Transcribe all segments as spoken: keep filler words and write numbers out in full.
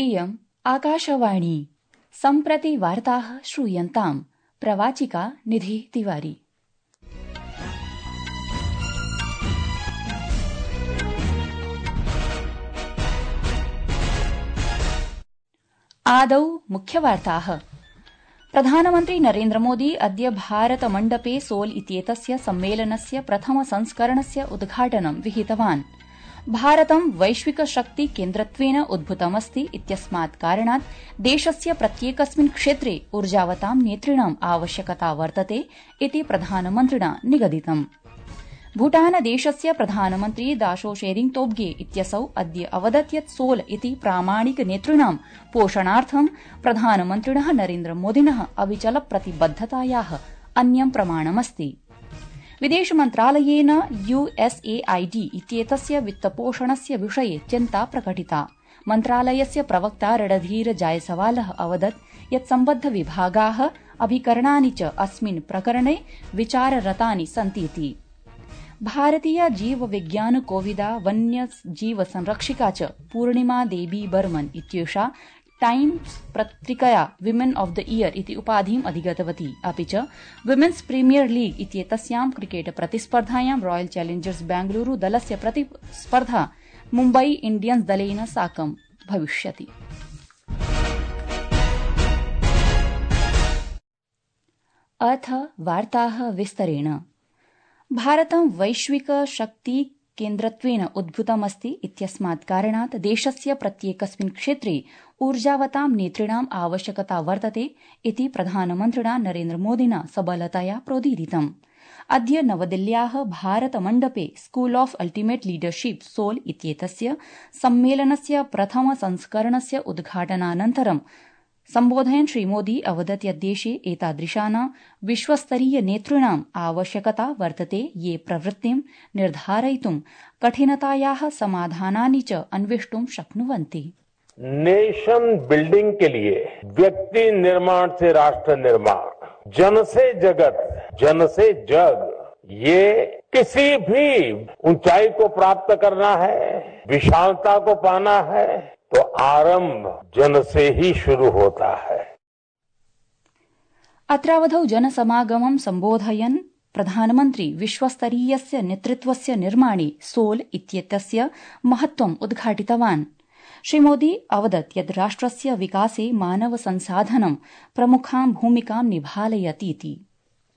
इयम् आकाशवाणी। सम्प्रति वार्ताः श्रूयन्ताम्। प्रवाचिका निधि तिवारी। आदौ मुख्यवार्ताः। प्रधानमन्त्री नरेन्द्र मोदी अद्य भारत मण्डपे सोल इत्येतस्य सम्मेलनस्य प्रथम संस्करणस्य उद्घाटनं विहितवान्। भारतं वैश्विक शक्ति केन्द्रत्वेन उद्भूतमस्ति इत्यस्मात् कारणात् देशस्य प्रत्येकस्मिन् क्षेत्रे ऊर्जावतां नेतृणाम् आवश्यकता वर्तते इति प्रधानमन्त्रिणा निगदितम्। भूटानदेशस्य प्रधानमन्त्री दाशो शेरिंग तोब्गे इत्यसौ अद्य अवदत् यत् सोल इति प्रामाणिक नेतृणां पोषणार्थं प्रधानमन्त्रिणः नरेन्द्र मोदिनः अविचल प्रतिबद्धतायाः अन्यं प्रमाणमस्ति। विदेशमन्त्रालयेन यूएसएआईडी इत्येतस्य वित्तपोषणस्य विषये चिन्ता प्रकटिता। मन्त्रालयस्य प्रवक्ता रणधीर जायसवालः अवदत् यत् सम्बद्ध विभागाः अभिकरणानि च अस्मिन् प्रकरणे विचाररतानि सन्तीति। भारतीय जीव विज्ञान कोविदा वन्य जीव संरक्षिका च पूर्णिमा देवी बर्मन इत्येषा टाइम्स पत्रिकया विमेन ऑफ द ईयर इति उपाधिम् अधिगतवती। अपि च विमेन्स प्रीमियर लीग इत्येतस्यां क्रिकेट प्रतिस्पर्धायां रॉयल चैलेंजर्स बेंगलुरू दलस्य प्रतिस्पर्धा मुम्बई इंडियन्स दलेन साकं भविष्यति। अथ वार्ताः विस्तरेण। भारतं वैश्विक शक्ति केन्द्रत्वेन उद्भूतमस्ति इत्यस्मात् कारणात् देशस्य प्रत्येकस्मिन् क्षेत्रे ऊर्जावतां नेतृणाम् आवश्यकता वर्तते इति प्रधानमन्त्रिणा नरेन्द्र मोदिना सबलतया प्रोदीरितम्। अद्य नवदिल्ल्याः भारतमण्डपे School of Ultimate Leadership SOUL इत्येतस्य सम्मेलनस्य प्रथम संस्करणस्य उद्घाटनानन्तरं सम्बोधयन् श्रीमोदी अवदत् यत् देशे एतादृशानां विश्वस्तरीय नेतृणाम् आवश्यकता वर्तते ये प्रवृत्तिं निर्धारयितुं कठिनतायाः समाधानानि च अन्वेष्टुं शक्नुवन्ति। नेशन बिल्डिंग के लिए व्यक्ति निर्माण से राष्ट्र निर्माण, जन से जगत, जन से जग, ये किसी भी ऊंचाई को प्राप्त करना है, विशालता को पाना है तो आरंभ जन से ही शुरू होता है। अत्रावधौ जनसमागमं सम्बोधयन् प्रधानमन्त्री विश्वस्तरीयस्य नेतृत्वस्य निर्माणे सोल इत्येतस्य महत्त्वम् उद्घाटितवान्। श्रीमोदी अवदत् यत् राष्ट्रस्य विकासे मानव संसाधनं प्रमुखां भूमिकां निभालयतीति।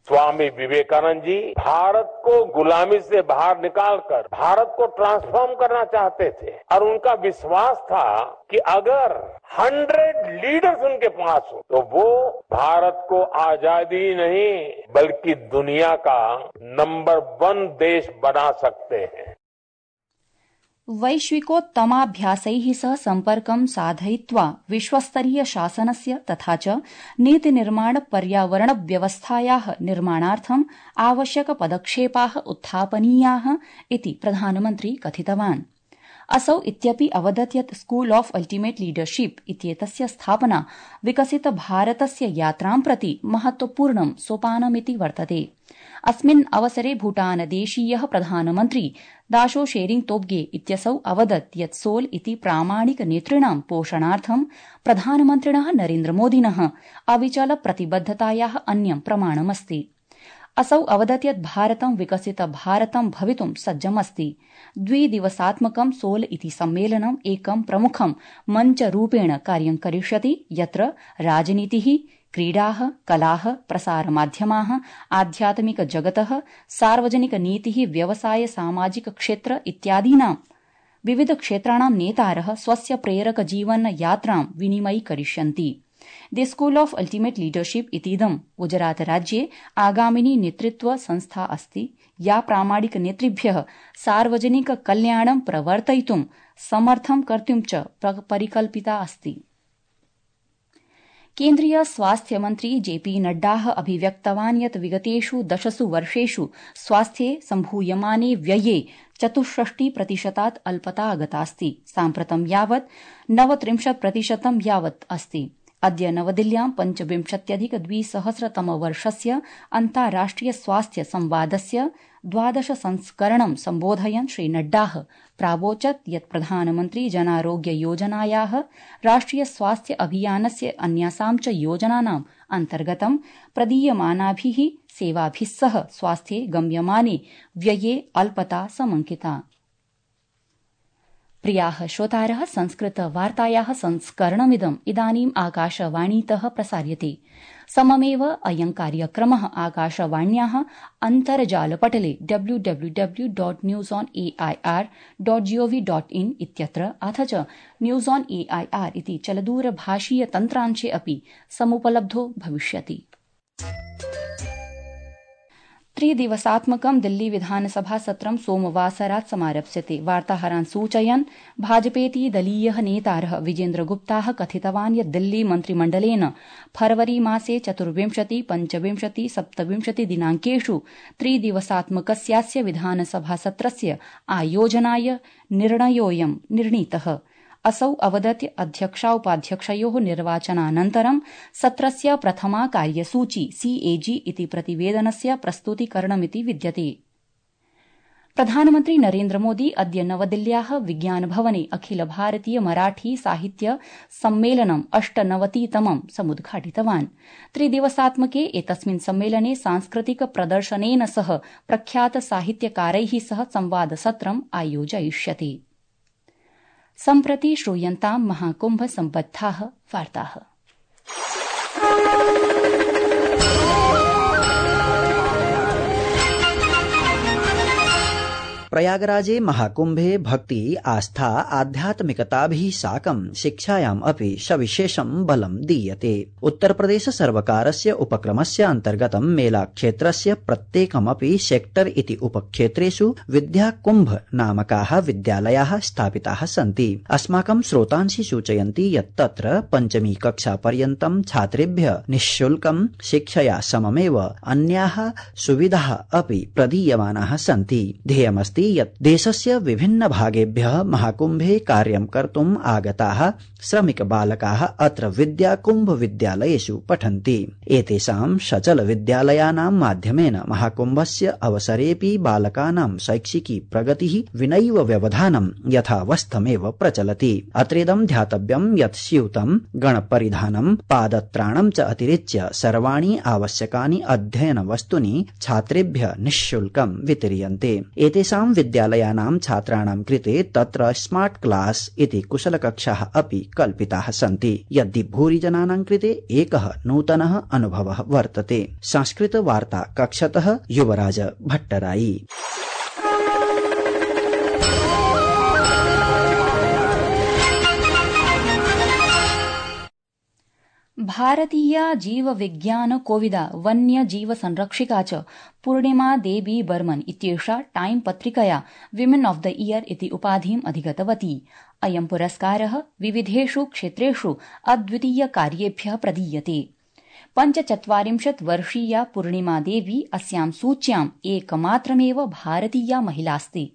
स्वामी विवेकानंद जी भारत को गुलामी से बाहर निकालकर भारत को ट्रांसफॉर्म करना चाहते थे और उनका विश्वास था कि अगर हंड्रेड लीडर्स उनके पास हो तो वो भारत को आजादी नहीं बल्कि दुनिया का नंबर वन देश बना सकते हैं। वैश्विकोत्तमाभ्यासैः सह सम्पर्कं साधयित्वा विश्वस्तरीय शासनस्य तथा च नीतिनिर्माण पर्यावरण व्यवस्थायाः निर्माणार्थम् आवश्यक पदक्षेपाः उत्थापनीयाः इति प्रधानमन्त्री कथितवान्। असौ इत्यपि अवदत् यत् स्कूल ऑफ अल्टिमेट लीडरशिप इत्येतस्य स्थापना विकसित भारतस्य यात्रां प्रति महत्वपूर्णं सोपानमिति वर्तते। अस्मिन् अवसरे भूटानदेशीयः प्रधानमन्त्री दाशो शेरिंग तोब्गे इत्यसौ अवदत् यत् सोल इति प्रामाणिक नेतृणां पोषणार्थं प्रधानमन्त्रिणः नरेन्द्र मोदिनः अविचल प्रतिबद्धतायाः अन्यं प्रमाणमस्ति। असौ अवदत् यत् भारतं विकसित भारतं भवितुं सज्जमस्ति। द्विदिवसात्मकं सोल इति सम्मेलनं एकं प्रमुखं मञ्चरूपेण कार्यं करिष्यति यत्र राजनीतिः, क्रीडाः, कलाः, प्रसारमाध्यमाः, आध्यात्मिक जगतः, सार्वजनिक नीतिः, व्यवसाय, सामाजिक क्षेत्र इत्यादीनां विविध क्षेत्राणां नेतारः स्वस्य प्रेरक जीवन यात्रां विनिमयीकरिष्यन्ति। दि स्कूल ऑफ अल्टिमेट लीडरशिप इतीदं गुजरात राज्ये आगामिनी नेतृत्व संस्था अस्ति या प्रामाणिक नेतृभ्यः सार्वजनिक कल्याणं प्रवर्तयितुं समर्थं कर्तुं च परिकल्पिता अस्ति। केन्द्रीय स्वास्थ्य मन्त्री जेपी नड्डाः अभिव्यक्तवान् यत् विगतेषु दशसु वर्षेषु स्वास्थ्ये सम्भूयमाने व्यये चतुष्षष्टि प्रतिशतात् अल्पता आगतास्ति। साम्प्रतं यावत् नवत्रिंशत् प्रतिशतं यावत् अस्ति। अद्य नवदिल्ल्यां पञ्चविंशत्यधिक द्विसहस्रतमवर्षस्य अन्ताराष्ट्रिय स्वास्थ्य संवादस्य द्वादश संस्करणं सम्बोधयन् श्रीनड्डा प्रावोचत् यत् प्रधानमन्त्री जनारोग्य योजनायाः राष्ट्रिय स्वास्थ्य अभियानस्य अन्यासां च योजनानाम् अन्तर्गतं प्रदीयमानाभिः सेवाभिः सह स्वास्थ्ये गम्यमाने व्यये अल्पता समंकिता। प्रियाः श्रोतारः, संस्कृतवार्तायाः संस्करणमिदम् इदानीम् आकाशवाणीतः प्रसार्यते। सममेव अयं कार्यक्रमः आकाशवाण्याः अन्तर्जालपटले W W W dot news on A I R dot gov dot in इत्यत्र अथ च news on A I R इति चलदूरभाषीय तन्त्रांशे अपि समुपलब्धो भविष्यति। त्रिदिवसात्मकं दिल्ली विधानसभा सत्रं सोमवासरात् समारप्स्यते। वार्ताहरान् सूचयन् भाजपेति दलीयः नेतारः विजेन्द्रगुप्ताः कथितवान् यत् दिल्ली मन्त्रिमण्डलेन फरवरी मासे चतुर्विंशति पञ्चविंशति सप्तविंशति दिनाङ्केषु त्रिदिवसात्मकस्यास्य विधानसभासत्रस्य आयोजनाय निर्णयोऽयं निर्णीतः। असौ अवदत् अध्यक्षाउपाध्यक्षयोः निर्वाचनानन्तरं सत्रस्य प्रथमा कार्यसूची सीएजी इति प्रतिवेदनस्य प्रस्तुतीकरणमिति विद्यते। प्रधानमन्त्री नरेन्द्रमोदी अद्य नवदिल्ल्याः विज्ञानभवने अखिल भारतीय मराठी साहित्य सम्मेलनम् अष्टनवतितमं समुद्घाटितवान्। त्रिदिवसात्मके एतस्मिन् सम्मेलने सांस्कृतिक प्रदर्शनेन सह प्रख्यात साहित्यकारैः सह संवादसत्रम् आयोजयिष्यते। सम्प्रति श्रूयन्तां महाकुम्भ सम्बद्धाः वार्ताः। प्रयागराजे महाकुम्भे भक्ति आस्था आध्यात्मिकताभिः साकं शिक्षायाम् अपि सविशेषं बलं दीयते। उत्तरप्रदेश सर्वकारस्य उपक्रमस्य अन्तर्गतं मेलाक्षेत्रस्य प्रत्येकमपि सेक्टर इति उपक्षेत्रेषु विद्याकुम्भ नामकाः विद्यालयाः स्थापिताः सन्ति। अस्माकं श्रोतांसि सूचयन्ति यत् तत्र पञ्चमी कक्षा पर्यन्तं छात्रेभ्यः निःशुल्कं शिक्षया सममेव अन्याः सुविधाः अपि प्रदीयमानाः सन्ति। ध्येयमस्ति यत् देशस्य विभिन्न भागेभ्यः महाकुम्भे कार्यं कर्तुम् आगताः श्रमिक बालकाः अत्र विद्याकुम्भ विद्यालयेषु पठन्ति। एतेषां सचल विद्यालयानां माध्यमेन महाकुम्भस्य अवसरेऽपि बालकानां शैक्षिकी प्रगतिः विनैव व्यवधानं यथावस्थमेव प्रचलति। अत्रेदं ध्यातव्यं यत् स्यूतं गणपरिधानं पादत्राणं च अतिरिच्य सर्वाणि आवश्यकानि अध्ययन वस्तूनि छात्रेभ्यः निःशुल्कं वितीर्यन्ते। एतेषां विद्यालयानां छात्राणां कृते तत्र स्मार्ट क्लास इति कुशलकक्षाः अपि कल्पिताः सन्ति। यद्य भूरिजनानां कृते एकः नूतनः अनुभवः वर्तते। संस्कृत वार्ता कक्षतः युवराज भट्टराई। भारतीया जीव विज्ञान कोविदा वन्य जीव संरक्षिका च पूर्णिमा देवी बर्मन इत्येषा टाइम पत्रिकया विमेन ऑफ द ईयर इति उपाधिम् अधिगतवती। अयं पुरस्कारः विविधेषु क्षेत्रेषु अद्वितीय कार्येभ्यः प्रदीयते। पञ्चचत्वारिंशत् वर्षीया पूर्णिमा देवी अस्यां सूच्याम् एकमात्रमेव भारतीया महिलास्ति।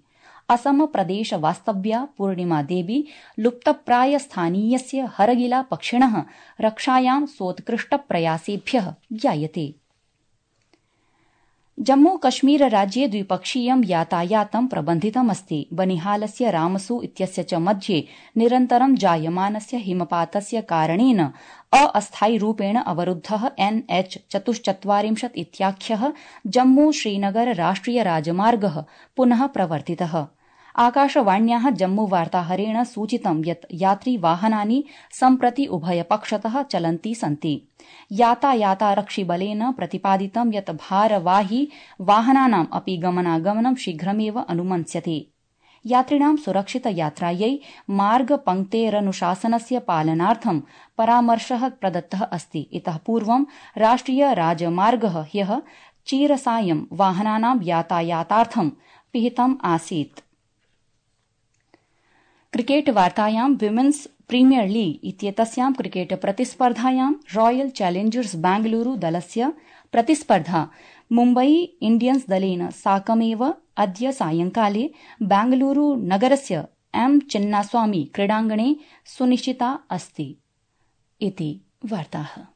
असम प्रदेश वास्तव्या पूर्णिमा देवी लुप्तप्राय स्थानीयस्य हरगिला पक्षिणः रक्षायां सोत्कृष्ट प्रयासेभ्यः ज्ञायते। जम्मू कश्मीर राज्ये द्विपक्षीयं यातायातं प्रबन्धितमस्ति। बनिहालस्य रामसू इत्यस्य च मध्ये निरन्तरं जायमानस्य हिमपातस्य कारणेन अस्थायिरूपेण अवरुद्धः एन एच चतुश्चत्वारिंशत् इत्याख्यः जम्मू श्रीनगर राष्ट्रिय राजमार्गः पुनः प्रवर्तितः। आकाशवाण्याः जम्मू वार्ताहरेण सूचितं यत् यात्रिवाहनानि सम्प्रति उभयपक्षतः चलन्ति सन्ति। यातायातारक्षिबलेन प्रतिपादितं यत् भारवाही वाहनानाम् अपि गमनागमनं शीघ्रमेव अनुमन्स्यते। यात्रिणां सुरक्षित यात्रायै मार्गपङ्क्तेरनुशासनस्य पालनार्थं परामर्शः प्रदत्तः अस्ति। इतः पूर्वं राष्ट्रिय राजमार्गः ह्यः चीरसायं वाहनानां यातायातार्थं पिहितम् आसीत्। क्रिकेट वार्तायां विमेन्स प्रीमियर लीग इत्येतस्यां क्रिकेट प्रतिस्पर्धायां रॉयल चैलेंजर्स बेंगलुरू दलस्य प्रतिस्पर्धा मुम्बई इंडियन्स दलेन साकमेव अद्य सायंकाले बेंगलुरू नगरस्य एम चिन्नास्वामी क्रीडाङ्गणे सुनिश्चिता अस्ति इति वार्ताः।